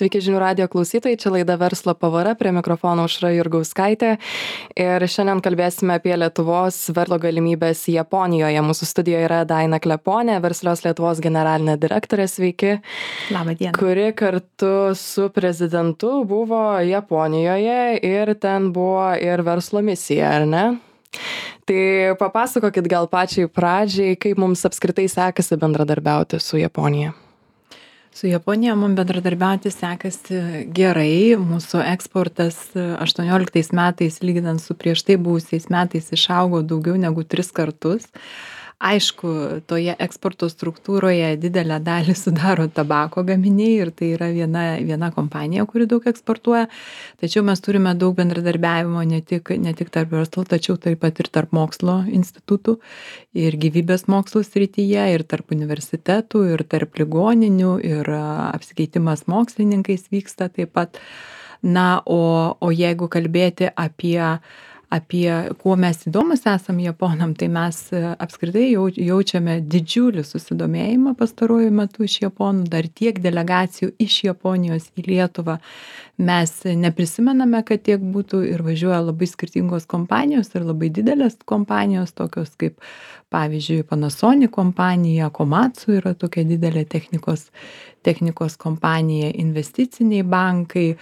Sveiki žinių radijo klausytojai, čia laida Verslo pavara, prie mikrofono Aušra Jurgauskaitė. Ir šiandien kalbėsime apie Lietuvos verslo galimybės Japonijoje. Mūsų studijoje yra Daina Kleponė, Verslios Lietuvos generalinė direktorė, sveiki. Labą dieną. Kuri kartu su prezidentu buvo Japonijoje ir ten buvo ir verslo misija, ar ne? Tai papasakokit gal pačiai pradžiai, kaip mums apskritai sekasi bendradarbiauti su Japonija. Su Japonija mums bendradarbiauti sekasi gerai. Mūsų eksportas 18 metais, lyginant su prieš tai buvusiais metais, išaugo daugiau negu 3 kartus. Aišku, toje eksporto struktūroje didelę dalį sudaro tabako gaminiai ir tai yra viena kompanija, kuri daug eksportuoja. Tačiau mes turime daug bendradarbiavimo ne tik tarp verslo, tačiau taip pat ir tarp mokslo institutų ir gyvybės mokslo srityje, ir tarp universitetų, ir tarp ligoninių, ir apsikeitimas mokslininkais vyksta taip pat. Na, o jeigu kalbėti apie kuo mes įdomus esam Japonam, tai mes apskritai jaučiame didžiulį susidomėjimą pastaruoju metu iš Japonų, dar tiek delegacijų iš Japonijos į Lietuvą. Mes neprisimename, kad tiek būtų ir važiuoja labai skirtingos kompanijos ir labai didelės kompanijos, tokios kaip pavyzdžiui Panasonic kompanija, Komatsu yra tokia didelė technikos kompanija, investiciniai bankai,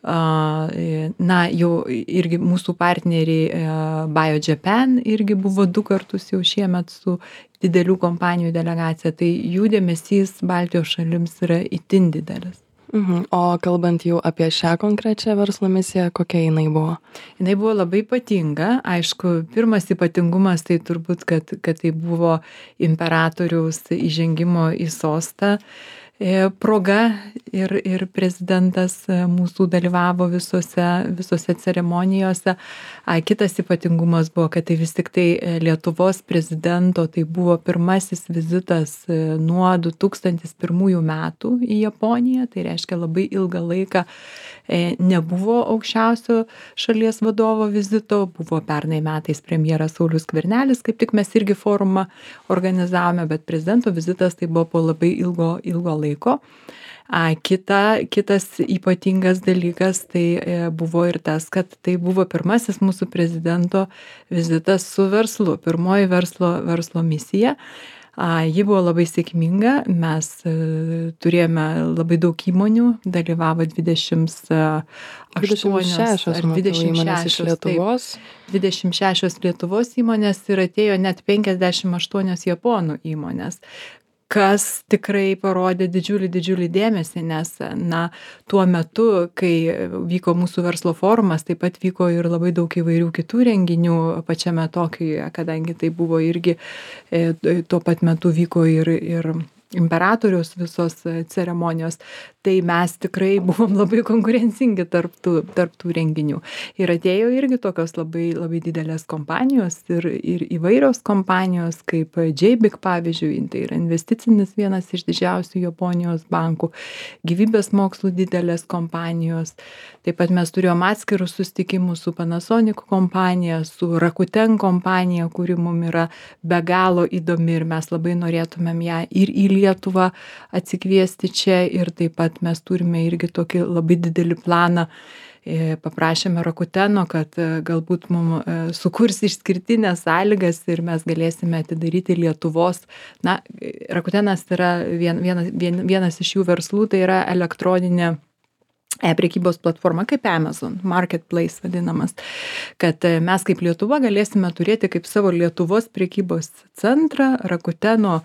na, jau irgi mūsų partneriai BioJapan irgi buvo 2 kartus jau šiemet su didelių kompanijų delegacija, tai jų dėmesys Baltijos šalims yra itin didelis. O kalbant jau apie šią konkrečią verslo misiją, kokia jinai buvo? Jinai buvo labai ypatinga. Aišku, pirmas ypatingumas tai turbūt, kad tai buvo imperatoriaus įžengimo į sostą proga ir prezidentas mūsų dalyvavo visose ceremonijose. Kitas ypatingumas buvo, kad tai vis tik tai Lietuvos prezidento, tai buvo pirmasis vizitas nuo 2001 metų į Japoniją, tai reiškia labai ilgą laiką nebuvo aukščiausio šalies vadovo vizito, buvo pernai metais premjeras Saulius Skvernelis, kaip tik mes irgi forumą organizavome, bet prezidento vizitas tai buvo po labai ilgo laiko. Kitas ypatingas dalykas tai buvo ir tas, kad tai buvo pirmasis mūsų prezidento vizitas su verslu, pirmoji verslo misija. Ji buvo labai sėkminga, mes turėjome labai daug įmonių, dalyvavo 26 įmonės iš Lietuvos. 26 Lietuvos įmonės ir atėjo net 58 Japonų įmonės, kas tikrai parodė didžiulį dėmesį, nes tuo metu, kai vyko mūsų verslo forumas, taip pat vyko ir labai daug įvairių kitų renginių pačiame Tokijuje, kadangi tai buvo irgi tuo pat metu vyko ir imperatoriaus visos ceremonijos, tai mes tikrai buvom labai konkurencingi tarp tų renginių. Ir atėjo irgi tokios labai didelės kompanijos ir įvairios kompanijos, kaip JBIC pavyzdžiui, tai yra investicinis vienas iš didžiausių Japonijos bankų, gyvybės mokslų didelės kompanijos. Taip pat mes turėjom atskirus susitikimus su Panasonic kompanija, su Rakuten kompanija, kuri mums yra be galo įdomi ir mes labai norėtumėm ją ir į Lietuvą atsikviesti čia ir taip pat mes turime irgi tokį labai didelį planą. Paprašėme Rakuteno, kad galbūt mums sukurs išskirtinės sąlygas ir mes galėsime atidaryti Lietuvos. Na, Rakutenas yra vienas iš jų verslų, tai yra elektroninė prekybos platforma kaip Amazon, marketplace vadinamas, kad mes kaip Lietuva galėsime turėti kaip savo Lietuvos prekybos centrą Rakuteno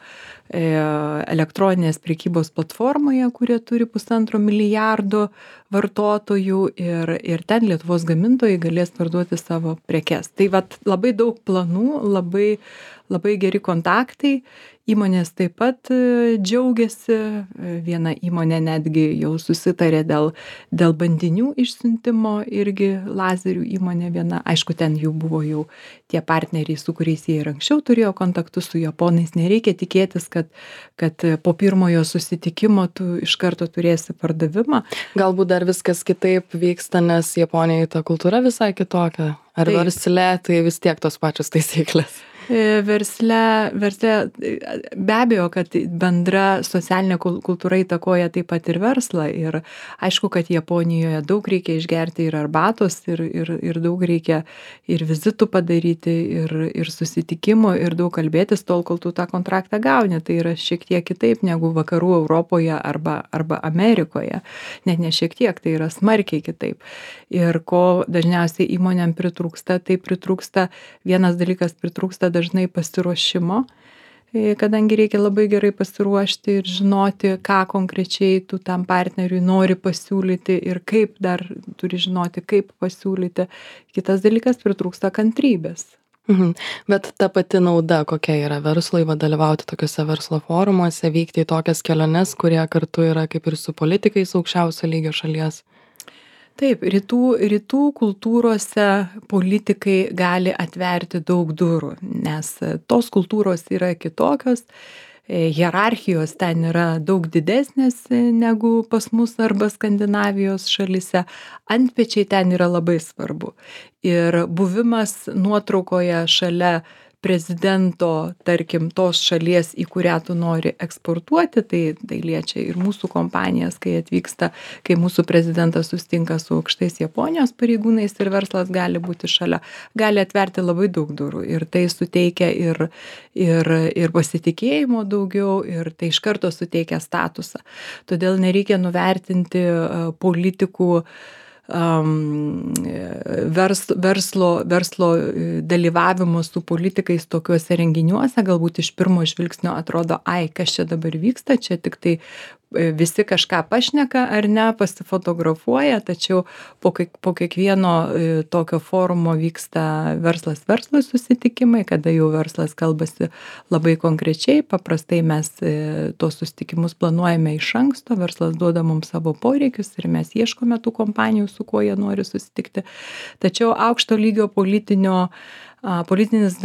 elektroninės prekybos platformoje, kurie turi 1,5 milijardo vartotojų ir ten Lietuvos gamintojai galės parduoti savo prekes. Tai labai daug planų, labai geri kontaktai. Įmonės taip pat džiaugiasi, viena įmonė netgi jau susitarė dėl bandinių išsiuntimo, irgi lazerių įmonė viena, aišku, ten jų buvo jau tie partneriai, su kuriais jie ir anksčiau turėjo kontaktus, su japonais nereikia tikėtis, kad po pirmojo susitikimo tu iš karto turėsi pardavimą. Galbūt dar viskas kitaip vyksta, nes Japonijoje ta kultūra visai kitokia. Ar versle tai vis tiek tos pačios taisyklės? Versle be abejo, kad bendra socialinė kultūra įtakoja taip pat ir verslą. Ir aišku, kad Japonijoje daug reikia išgerti ir arbatos, ir daug reikia ir vizitų padaryti, ir susitikimų, ir daug kalbėtis tol, kol tu tą kontraktą gauni. Tai yra šiek tiek kitaip negu vakarų Europoje arba Amerikoje. Net ne šiek tiek, tai yra smarkiai kitaip. Ir ko dažniausiai įmonėm pritrūksta, tai pritrūksta, vienas dalykas pritrūksta dažnai pasiruošimo, kadangi reikia labai gerai pasiruošti ir žinoti, ką konkrečiai tu tam partneriui nori pasiūlyti ir kaip dar turi žinoti, kaip pasiūlyti. Kitas dalykas pritrūksta kantrybės. Bet ta pati nauda, kokia yra verslui, dalyvauti tokiuose verslo forumuose, vykti į tokias keliones, kurie kartu yra kaip ir su politikais aukščiausio lygio šalies. Taip, rytų kultūrose politikai gali atverti daug durų, nes tos kultūros yra kitokios, hierarchijos ten yra daug didesnės negu pas mus arba Skandinavijos šalyse, antpečiai ten yra labai svarbu. Ir buvimas nuotraukoje šalia prezidento, tarkim, tos šalies, į kurią tu nori eksportuoti, tai liečia ir mūsų kompanijas, kai atvyksta, kai mūsų prezidentas susitinka su aukštais Japonijos pareigūnais ir verslas gali būti šalia, gali atverti labai daug durų ir tai suteikia ir pasitikėjimo daugiau ir tai iš karto suteikia statusą. Todėl nereikia nuvertinti politikų verslo dalyvavimo su politikais tokiuose renginiuose, galbūt iš pirmo žvilgsnio atrodo, kas čia dabar vyksta, čia tik tai visi kažką pašneka ar ne, pasifotografuoja, tačiau po kiekvieno tokio forumo vyksta verslas verslui susitikimai, kada jau verslas kalbasi labai konkrečiai, paprastai mes tos susitikimus planuojame iš anksto, verslas duoda mums savo poreikius ir mes ieškome tų kompanijų, su kuo jie nori susitikti. Tačiau aukšto lygio politinis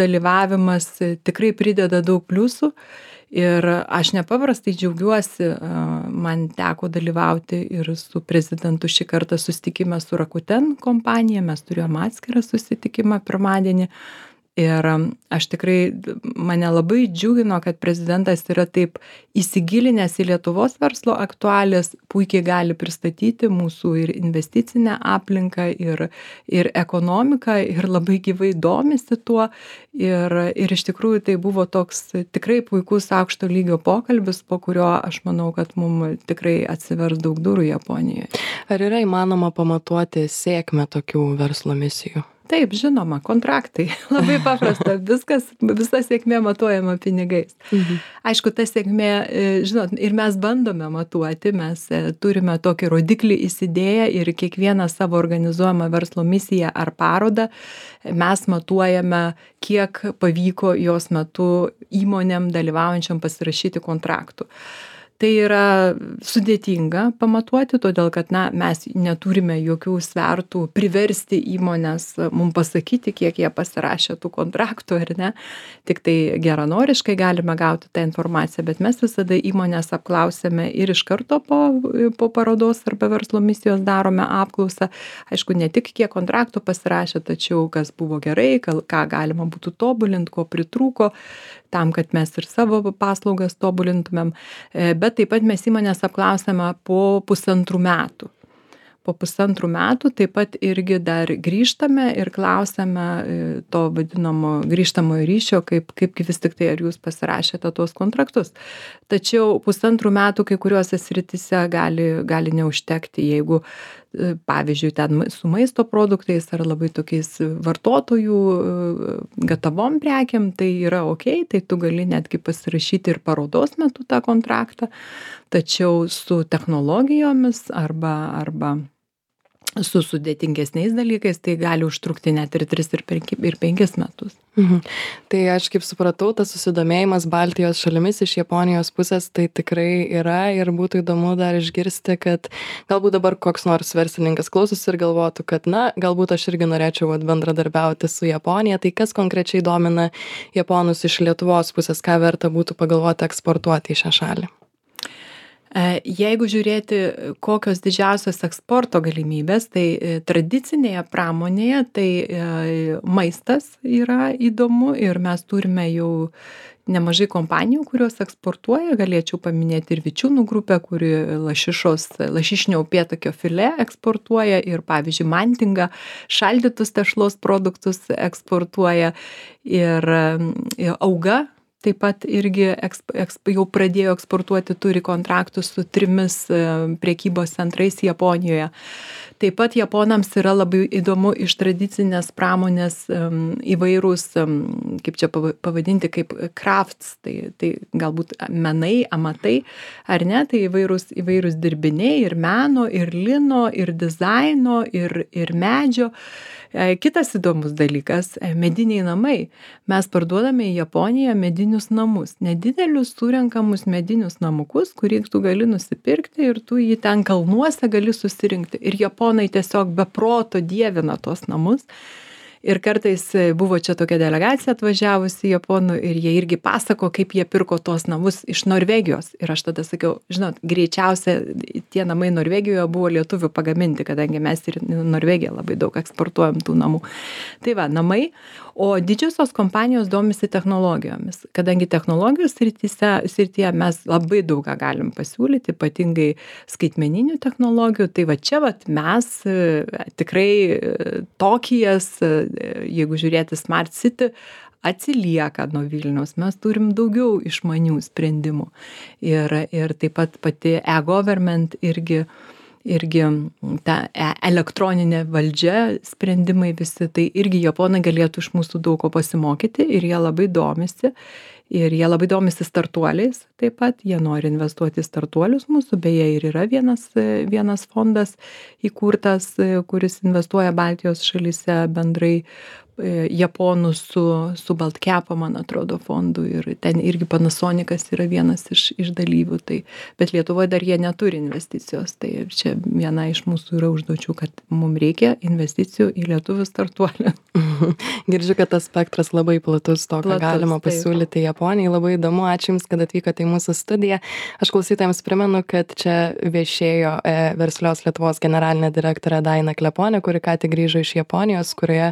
dalyvavimas tikrai prideda daug pliusų. Ir aš nepaprastai džiaugiuosi, man teko dalyvauti ir su prezidentu šį kartą susitikime su Rakuten kompanija, mes turėjome atskirą susitikimą pirmadienį. Ir aš tikrai, mane labai džiugino, kad prezidentas yra taip įsigilinęs į Lietuvos verslo aktualijas, puikiai gali pristatyti mūsų ir investicinę aplinką, ir ekonomiką, ir labai gyvai domisi tuo. Ir iš tikrųjų tai buvo toks tikrai puikus aukšto lygio pokalbis, po kurio aš manau, kad mums tikrai atsivers daug durų Japonijoje. Ar yra įmanoma pamatuoti sėkmę tokių verslo misijų? Taip, žinoma, kontraktai. Labai paprasta, visa sėkmė matuojama pinigais. Aišku, ta sėkmė, žinot, ir mes bandome matuoti, mes turime tokį rodiklį įsidėję ir kiekvieną savo organizuojamą verslo misiją ar parodą mes matuojame, kiek pavyko jos metu įmonėm dalyvaujančiam pasirašyti kontraktų. Tai yra sudėtinga pamatuoti, todėl kad mes neturime jokių svertų priversti įmonės mums pasakyti, kiek jie pasirašė tų kontraktų ar ne. Tik tai geranoriškai galime gauti tą informaciją, bet mes visada įmonės apklausėme ir iš karto po parodos arba verslo misijos darome apklausą. Aišku, ne tik kiek kontraktų pasirašė, tačiau kas buvo gerai, ką galima būtų tobulinti, ko pritrūko, tam, kad mes ir savo paslaugas tobulintumėm. Bet taip pat mes įmonės apklausėme po 1,5 metų. Po 1,5 metų taip pat irgi dar grįžtame ir klausėme to vadinamo grįžtamojo ryšio, kaip vis tik tai ar jūs pasirašėte tuos kontraktus. Tačiau 1,5 metų kai kuriuose srityse gali neužtekti, jeigu pavyzdžiui ten su maisto produktais ar labai tokiais vartotojų gatavom prekiam, tai yra okei, tai tu gali netgi pasirašyti ir parodos metu tą kontraktą, tačiau su technologijomis arba su sudėtingesniais dalykais, tai gali užtrukti net ir 3 ir 5 metus. Tai aš kaip supratau, tas susidomėjimas Baltijos šalimis iš Japonijos pusės tai tikrai yra ir būtų įdomu dar išgirsti, kad galbūt dabar koks nors verslininkas klausosi ir galvotų, kad galbūt aš irgi norėčiau bendradarbiauti su Japonija, tai kas konkrečiai domina japonus iš Lietuvos pusės, ką verta būtų pagalvoti eksportuoti į šią šalį? Jeigu žiūrėti, kokios didžiausios eksporto galimybės, tai tradicinėje pramonėje tai maistas yra įdomu ir mes turime jau nemažai kompanijų, kurios eksportuoja. Galėčiau paminėti ir Vičiūnų grupę, kuri lašišinio upėtakio filė eksportuoja ir, pavyzdžiui, Mantinga šaldytus tešlos produktus eksportuoja ir Auga taip pat irgi jau pradėjo eksportuoti, turi kontraktus su 3 prekybos centrais Japonijoje. Taip pat japonams yra labai įdomu iš tradicinės pramonės įvairūs, kaip čia pavadinti, kaip crafts, tai galbūt menai, amatai, ar ne, tai įvairūs dirbiniai ir meno, ir lino, ir dizaino, ir medžio. Kitas įdomus dalykas - mediniai namai. Mes parduodame į Japoniją medinius namus, nedidelius surenkamus medinius namukus, kurį tu gali nusipirkti ir tu jį ten kalnuose gali susirinkti. Ir japonai tiesiog be proto dievina tuos namus. Ir kartais buvo čia tokia delegacija atvažiavusi japonų ir jie irgi pasako, kaip jie pirko tuos namus iš Norvegijos. Ir aš tada sakiau, žinot, greičiausia tie namai Norvegijoje buvo lietuvių pagaminti, kadangi mes ir Norvegiją labai daug eksportuojam tų namų. Tai va, namai, o didžiosios kompanijos domisi technologijomis. Kadangi technologijos srityje mes labai daug ką galim pasiūlyti, ypatingai skaitmeninių technologijų. Tai va čia mes tikrai Tokijas, jeigu žiūrėti Smart City, atsilieka nuo Vilniaus. Mes turim daugiau išmanių sprendimų. Ir taip pat pati e-government irgi ta elektroninė valdžia sprendimai visi, tai irgi japonai galėtų iš mūsų daug ko pasimokyti ir jie labai domisi. Ir jie labai domisi startuoliais taip pat, jie nori investuoti į startuolius mūsų, beje ir yra vienas fondas įkurtas, kuris investuoja Baltijos šalyse bendrai japonų su Baltkepo, man atrodo, fondu ir ten irgi Panasonicas yra vienas iš dalyvių, tai, bet Lietuvoje dar jie neturi investicijos, tai čia viena iš mūsų yra užduočių, kad mums reikia investicijų į lietuvių startuolį. Girdžiu, kad tas spektras labai platus, to, ką galima pasiūlyti Japonijai. Labai įdomu, ačiū Jums, kad atvykote į mūsų studiją. Aš klausytojams primenu, kad čia viešėjo Verslios Lietuvos generalinė direktorė Daina Kleponė, kuri ką tik grįžo iš Japonijos, kurioje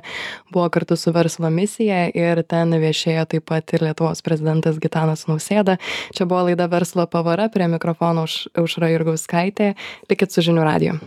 buvo kartu su Verslo misija ir ten viešėjo taip pat ir Lietuvos prezidentas Gitanas Nausėda. Čia buvo laida Verslo pavara, prie mikrofono Aušra Jurgauskaitė. Likit su žinių radiju.